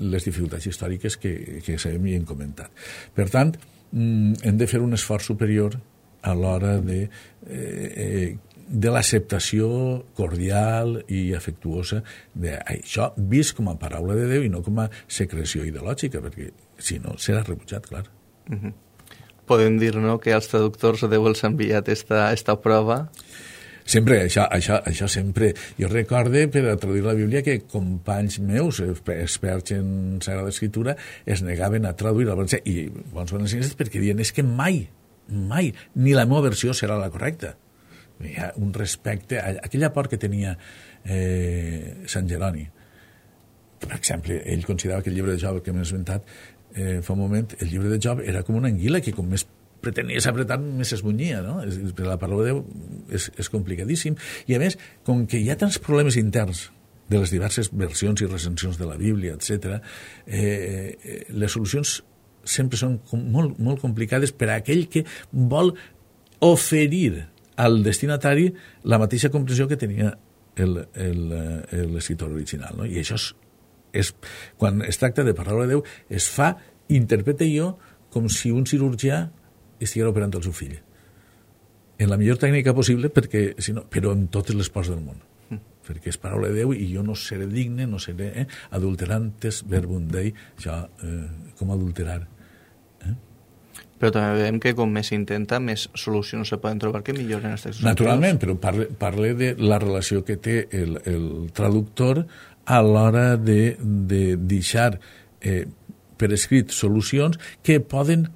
les dificultats històriques que sabem i hem comentat. Per tant, hem de fer un esforç superior a l'hora de l'acceptació cordial i afectuosa d'això vist com a paraula de Déu i no com a secreció ideològica, perquè si no serà rebutjat, clar. Podem dir, no?, que als traductors Déu els ha enviat esta prova. Sempre, això sempre. Jo recorde, per a traduir la Bíblia, que companys meus, experts en Sagrada Escritura, es negaven a traduir la valencià, i bons valencians, perquè diuen, és que mai, ni la meva versió serà la correcta. Hi ha un respecte a aquella por que tenia Sant Jeroni. Per exemple, ell considerava que el llibre de Job, que m'he esmentat fa un moment, el llibre de Job era com una anguila que com més pretenies apretar, més esbunyia, no? La paraula de Déu és complicadíssim. I a més, com que hi ha tants problemes interns de les diverses versions i recensions de la Bíblia, etc., les solucions sempre són molt, molt complicades per a aquell que vol oferir al destinatari la mateixa comprensió que tenia l'escriptor original, no? I això és quan es tracta de paraula de Déu, es fa, interpreta jo, com si un cirurgià estiguera operant el seu fill. En la millor tècnica possible, perquè, si no, però en totes les parts del món. Perquè és paraula de Déu i jo no seré digne, no seré adulterantes verbum Dei, això, com adulterar. Però també veiem que com més s'intenta, més solucions se poden trobar que milloren els textos. Naturalment, però parle de la relació que té el traductor a l'hora de deixar per escrit solucions que poden...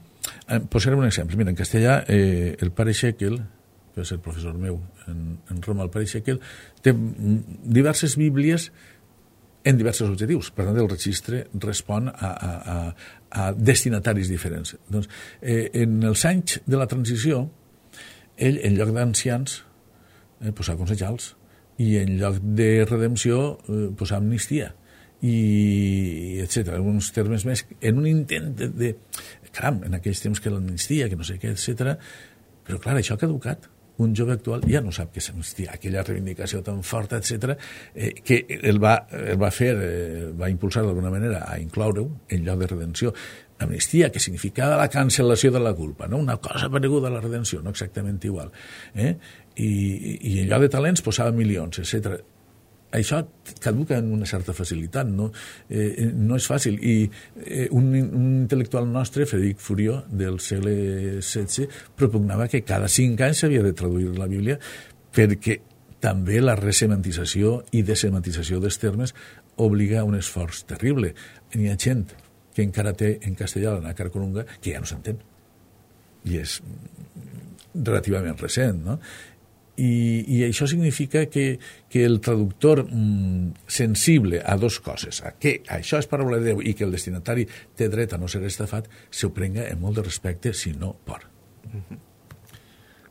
Posarem un exemple. Mira, en castellà, el pare Shekel, que és el professor meu en Roma, el pare Shekel, té diverses bíblies en diversos objectius. Per tant, el registre respon a destinataris diferents. Doncs, en els anys de la transició, ell, en lloc d'ancians, posava consellals, i en lloc de redempció, posava amnistia, i etc. Alguns termes més, en un intent de caram, en aquells temps que l'amnistia, que no sé què, etc. Però clar, això ha caducat. Un jove actual ja no sap què és amnistia, aquella reivindicació tan forta, etc., que el va impulsar d'alguna manera a incloure-ho en lloc de redenció. Amnistia, que significava la cancel·lació de la culpa, no? Una cosa pareguda a la redenció, no exactament igual. I en lloc de talents posava milions, etc. Això caduca en una certa facilitat, no és fàcil. I un intel·lectual nostre, Frederic Fourier, del segle XVI, propugnava que cada 5 anys s'havia de traduir la Bíblia perquè també la resemantització i desemantització dels termes obliga a un esforç terrible. N'hi ha gent que encara té en castellà la Nacarcolunga que ja no s'entén. I és relativament recent, no? I això significa que el traductor sensible a dues coses, a que això és paraula de Déu i que el destinatari té dret a no ser estafat, s'ho prenga amb molt de respecte, si no por.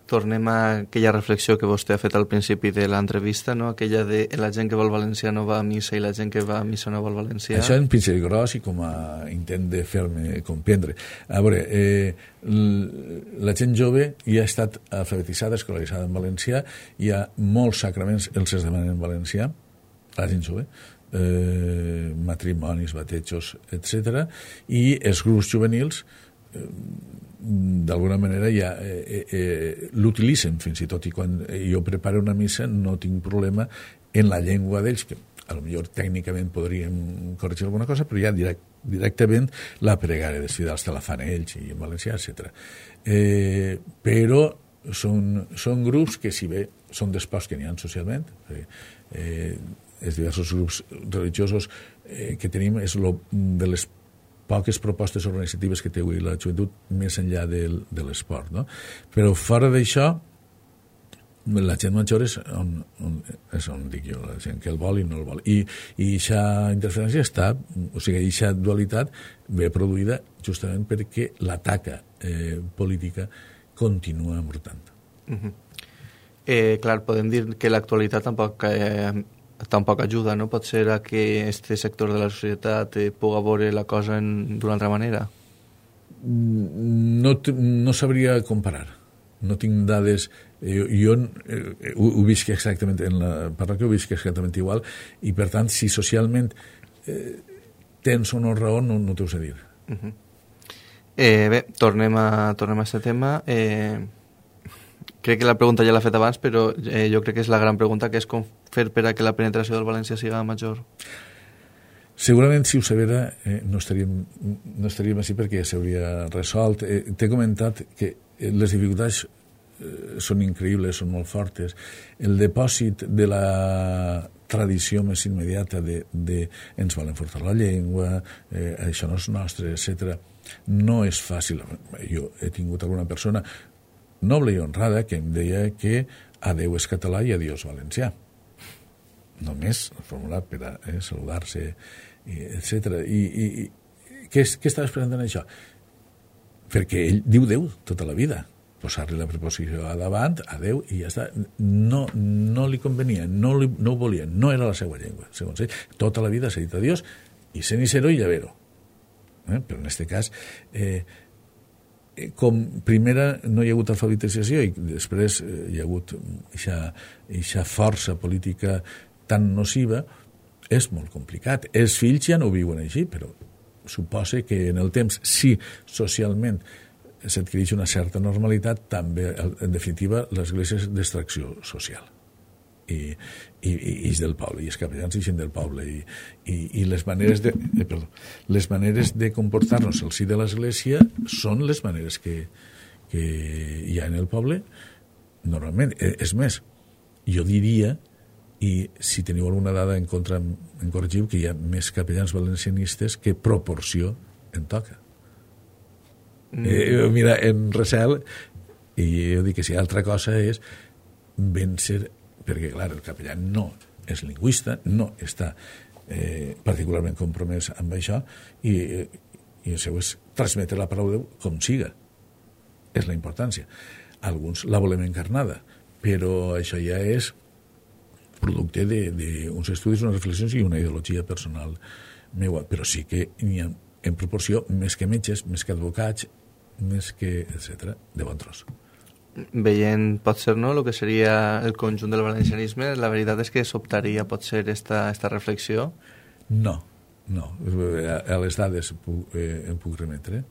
Tornem a aquella reflexió que vostè ha fet al principi de l'entrevista, no? Aquella de la gent que vol valencià no va a missa i la gent que va a missa no vol valencià. Això en pinzell gros i com a intent de fer-me comprendre. A veure, la gent jove ja ha estat alfabetitzada, escolaritzada en valencià, hi ha molts sacraments, els es demanen en valencià, la gent jove, matrimonis, batejos, etc. I els grups juvenils d'alguna manera ja l'utilitzen fins i tot, i quan jo preparo una missa no tinc problema en la llengua d'ells, que potser tècnicament podríem corregir alguna cosa, però ja directament la pregària dels fidels te la fan ells i en valencià, etc. Però són grups que, si bé són d'esports que n'hi ha socialment, els diversos grups religiosos que tenim és de les poques propostes organitzatives que té avui la joventut més enllà de l'esport, no? Però fora d'això, la gent major és on dic jo, la gent que el vol i no el vol. I aquesta interferència està, o sigui, aquesta dualitat ve produïda justament perquè l'ataca política continua embrutant. Clar, podem dir que l'actualitat tampoc tampoc ajuda, no? Pot ser a que aquest sector de la societat pugui veure la cosa d'una altra manera? No sabria comparar. No tinc dades. Jo ho visc exactament, en la parròquia ho visc exactament igual, i per tant, si socialment tens o no raó, no t'ho sé dir. Bé, tornem a aquest tema. Crec que la pregunta ja l'ha fet abans, però jo crec que és la gran pregunta, que és com fer per a que la penetració del valencià siga major. Segurament, si ho sabera, no estaríem així, perquè ja s'hauria resolt. T'he comentat que les dificultats són increïbles, són molt fortes. El depòsit de la tradició més immediata de ens volen furtar la llengua, això no és nostre, etc. No és fàcil. Jo he tingut alguna persona noble i honrada que em deia que adeu és català i adiós valencià. Només formulat per a saludar-se, etc. I què estava esperant en això? Perquè ell diu Déu tota la vida. Posar-li la preposició a davant, adeu, i ja està. No li convenia, no ho volia, no era la seva llengua, segons ell. Tota la vida s'ha dit adiós, i cenicero i llavero. Però en aquest cas, com primera no hi ha hagut alfabetització i després hi ha hagut aquesta força política tan nociva, és molt complicat. Els fills ja no ho viuen així, però suposa que en el temps, si socialment s'adquireix una certa normalitat, també, en definitiva, l'Església és d'extracció social. I és del poble, i els capellans ixen del poble, i les maneres de comportar-nos al si de l'Església són les maneres que hi ha en el poble normalment. És més, jo diria, i si teniu alguna dada en contra en corregiu, que hi ha més capellans valencianistes que proporció en toca. Mira, en recel, i jo dic que si altra cosa és vèncer, perquè clar, el capellà no és lingüista, no està particularment compromès amb això, i el seu és transmetre la paraula de Déu com siga. És la importància. Alguns la volem encarnada, però això ja és producte d'uns estudis, unes reflexions i una ideologia personal meua, però sí que n'hi ha en proporció més que metges, més que advocats, més que, etc., de bon tros. Veient, potser, no, el que seria el conjunt del valencianisme, la veritat és que sobtaria, potser, esta reflexió? No. A les dades em puc remetre.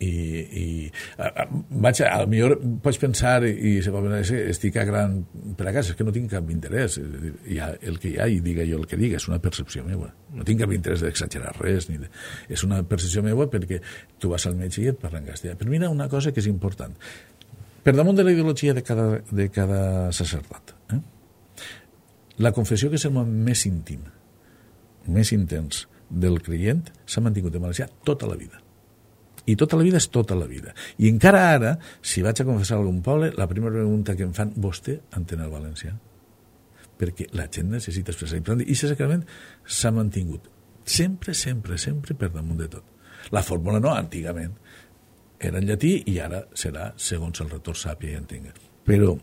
Al millor pots pensar i estic a gran per a casa, és que no tinc cap interès, hi ha el que hi ha i diga jo el que diga, és una percepció meva, no tinc cap interès d'exagerar res, és una percepció meva, perquè tu vas al metge i et parla en castellà. Però mira una cosa que és important, per damunt de la ideologia de cada sacerdot, la confessió, que és el moment més íntim, més intens del creient, s'ha mantingut en valencià tota la vida. I tota la vida és tota la vida. I encara ara, si vaig a confessar a algun poble, la primera pregunta que em fan, vostè entén el valencià? Perquè la gent necessita expressar. I aquest sacrament s'ha mantingut sempre, sempre, sempre per damunt de tot. La fórmula no, antigament era en llatí i ara serà segons el rector sàpia i entenga. Però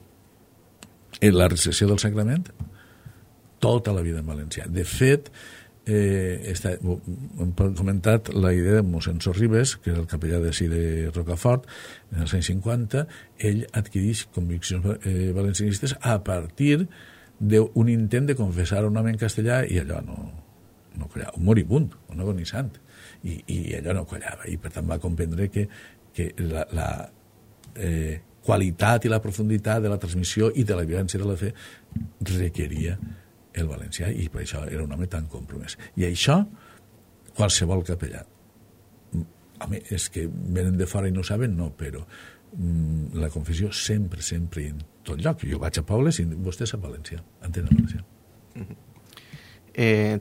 la recepció del sacrament tota la vida en valencià. De fet, hem comentat la idea de mossèn Sorribes, que era el capellà de Rocafort, en els anys 50, ell adquireix conviccions valencianistes a partir d'un intent de confessar un home en castellà i allò no collava, un moribund, un agonissant, i allò no collava, i per tant va comprendre que la qualitat i la profunditat de la transmissió i de la vivència de la fe requeria el valencià, i per això era un home tan compromès. I això, qualsevol capellà. Home, és que venen de fora i no saben, no, però la confessió sempre, sempre, i en tot lloc. Jo vaig a pobles i vostè sap valencià, entén el valencià.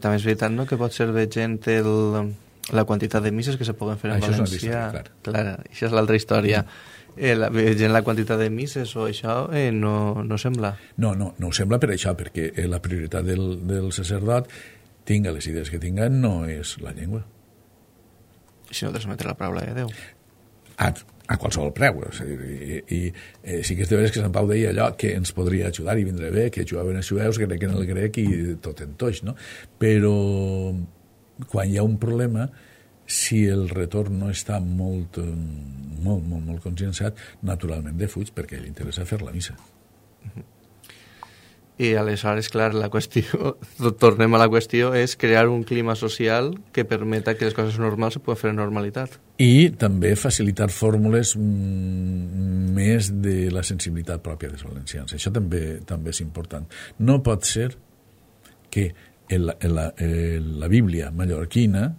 També és veritat, no?, que pot ser veient la quantitat de misses que se poden fer en valencià. Això és una altra història, clar. Això és l'altra història. Veient la quantitat de misses o això no sembla. No ho sembla per això, perquè la prioritat del sacerdot, tinga les idees que tinga, no és la llengua, sinó transmetre la paraula de Déu. a qualsevol preu. I sí que és de veres que Sant Pau deia allò que ens podria ajudar i vindré bé, que jugaven els jueus, grec en el grec i tot en toix, no? Però quan hi ha un problema, si el retorn no està molt conscienciat, naturalment defuig perquè li interessa fer la missa. I aleshores, clar, la qüestió, tornem a la qüestió, és crear un clima social que permeta que les coses normals se pugui fer en normalitat. I també facilitar fórmules més de la sensibilitat pròpia dels valencians. Això també és important. No pot ser que la Bíblia mallorquina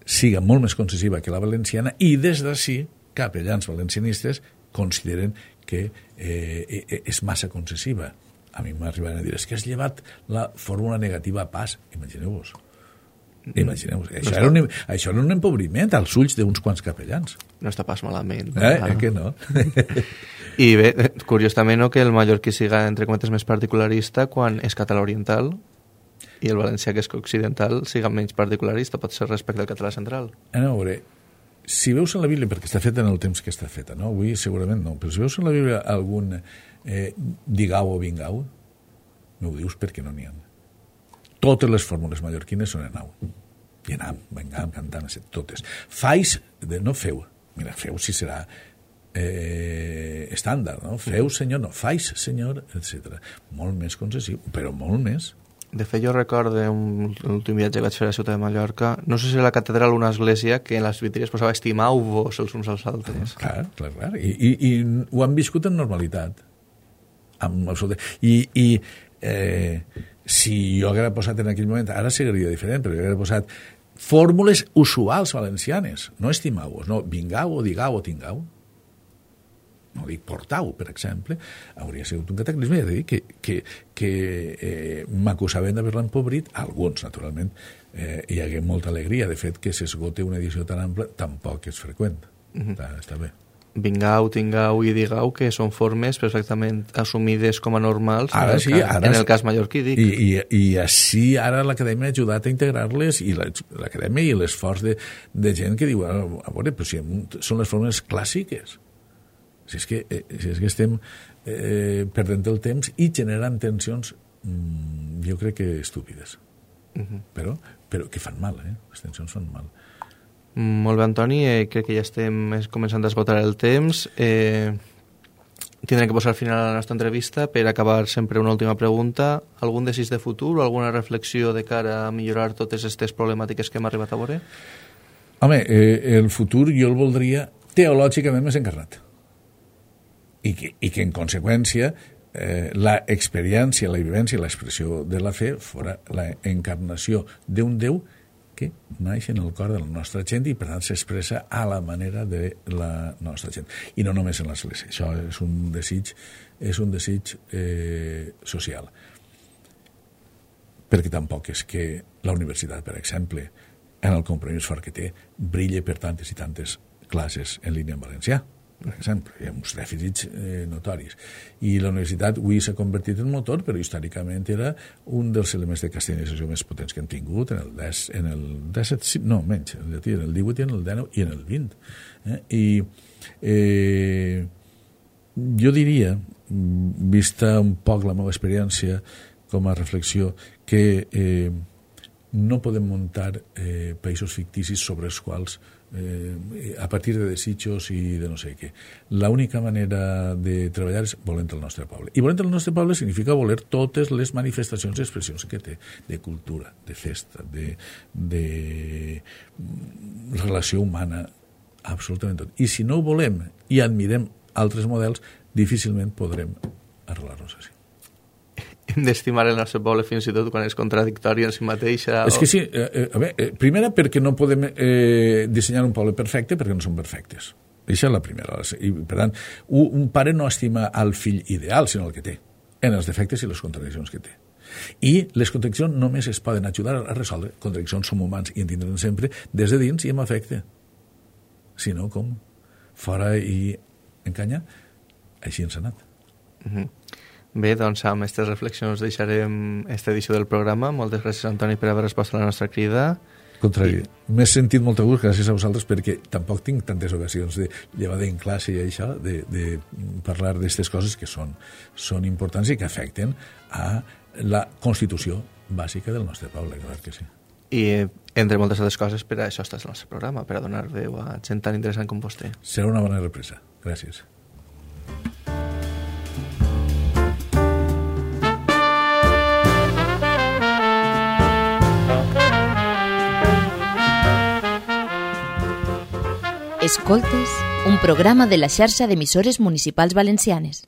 siga molt més concessiva que la valenciana i des d'ací capellans valencianistes consideren que és massa concessiva. A mi m'arribaran a dir, és que has llevat la fórmula negativa a pas. Imagineu-vos. Això era un empobriment als ulls d'uns quants capellans. No està pas malament. Que no? I bé, curiós també no, que el mallorquí siga, entre cometes, més particularista quan és català oriental i el valencià, que és occidental, siga menys particularista, pot ser respecte al català central. A veure, si veus en la Bíblia, perquè està feta en el temps que està feta, no? Avui segurament no, però si veus en la Bíblia algun digau o vingau, no ho dius perquè no n'hi ha. Totes les fórmules mallorquines són en au. I anam, vengam, cantant, totes. Fais, no feu. Mira, feu si serà estàndard, no? Feu, senyor, no. Fais, senyor, etc. Molt més concessiu, però molt més. De fet, jo recordo l'últim viatge que vaig fer a la ciutat de Mallorca, no sé si era la catedral o una església, que en les vitrines posava estimau-vos els uns als altres. Clar. I ho han viscut en normalitat. I si jo haguera posat en aquell moment, ara seria diferent, però jo haguera posat fórmules usuals valencianes, no estimau-vos, no vingau o digau o tingau, no dic portau, per exemple, hauria sigut un cataclisme. He de dir que m'acusaven d'haver-la empobrit, alguns, naturalment, hi hagué molta alegria. De fet, que s'esgote una edició tan ampla tampoc és freqüent. Està bé. Vingau, tingau i digau, que són formes perfectament assumides com a normals en el cas mallorquí, dic. I així ara l'Acadèmia ha ajudat a integrar-les, i l'Acadèmia i l'esforç de gent que diu, a veure, però si són les formes clàssiques. Si és que estem perdent el temps i generant tensions, jo crec que estúpides. Però que fan mal, les tensions fan mal. Molt bé, Antoni, crec que ja estem començant a esgotar el temps. Tindrem que posar final a la nostra entrevista. Per acabar, sempre una última pregunta. Algun desig de futur o alguna reflexió de cara a millorar totes aquestes problemàtiques que hem arribat a veure? Home, el futur jo el voldria teològicament més encarnat. I que en conseqüència l'experiència, la vivència i l'expressió de la fe fora la encarnació d'un Déu que naix en el cor de la nostra gent i per tant s'expressa a la manera de la nostra gent i no només en l'Església. Això és un desig social, perquè tampoc és que la universitat, per exemple, en el compromís fort que té, brilla per tantes i tantes classes en línia en valencià, per exemple. Hi ha uns dèficits notoris. I la universitat avui s'ha convertit en motor, però històricament era un dels elements de castellanització més potents que hem tingut en el 17, no, menys, en el 18, en el 19 i en el 20. Jo diria, vista un poc la meva experiència com a reflexió, que no podem muntar països ficticis sobre els quals a partir de desitjos i de no sé què. L'única manera de treballar és volent el nostre poble. I volent el nostre poble significa voler totes les manifestacions i expressions que té, de cultura, de festa, de relació humana, absolutament tot. I si no ho volem i admirem altres models, difícilment podrem arrelar-nos així. Hem d'estimar el nostre poble fins i tot quan és contradictori en si mateixa. És que sí, primera perquè no podem dissenyar un poble perfecte perquè no som perfectes. Això és la primera. I, per tant, un pare no estima al fill ideal, sinó el que té, en els defectes i les contradiccions que té. I les contradiccions només es poden ajudar a resoldre. Contradiccions som humans i en tindrem sempre des de dins i amb afecte. Si no, com? Fora i encanya, així ens ha anat. Bé, doncs amb aquestes reflexions deixarem aquesta edició del programa. Moltes gràcies, Antoni, per haver respost a la nostra crida. contrari. M'he sentit molt a gust gràcies a vosaltres perquè tampoc tinc tantes ocasions de llevada en classe i això, de parlar d'aquestes coses que són importants i que afecten a la constitució bàsica del nostre poble, clar que sí. I, entre moltes altres coses, per a això estàs al nostre programa, per a donar veu a gent tan interessant com vostè. Serà una bona represa. Gràcies. Escoltes, un programa de la xarxa d'emissores municipals valencianes.